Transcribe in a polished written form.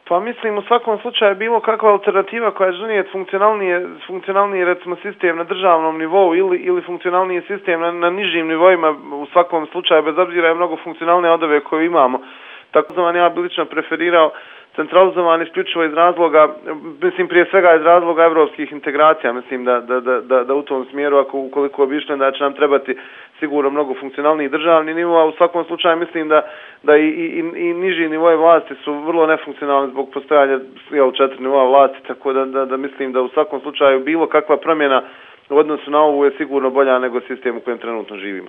Pa mislim u svakom slučaju bilo kakva alternativa koja će donijeti funkcionalniji recimo sistem na državnom nivou ili funkcionalniji sistem na nižim nivoima u svakom slučaju, bez obzira je mnogo funkcionalnije od ove koje imamo. Tako da ja bi lično preferirao centralizovan isključivo iz razloga, mislim prije svega iz razloga evropskih integracija, mislim da u tom smjeru ukoliko bi išli da će nam trebati sigurno mnogo funkcionalniji državni nivo, a u svakom slučaju mislim da i niži nivoje vlasti su vrlo nefunkcionalni zbog postojanja 4 nivoa vlasti, tako da mislim da u svakom slučaju bilo kakva promjena u odnosu na ovu je sigurno bolja nego sistem u kojem trenutno živimo.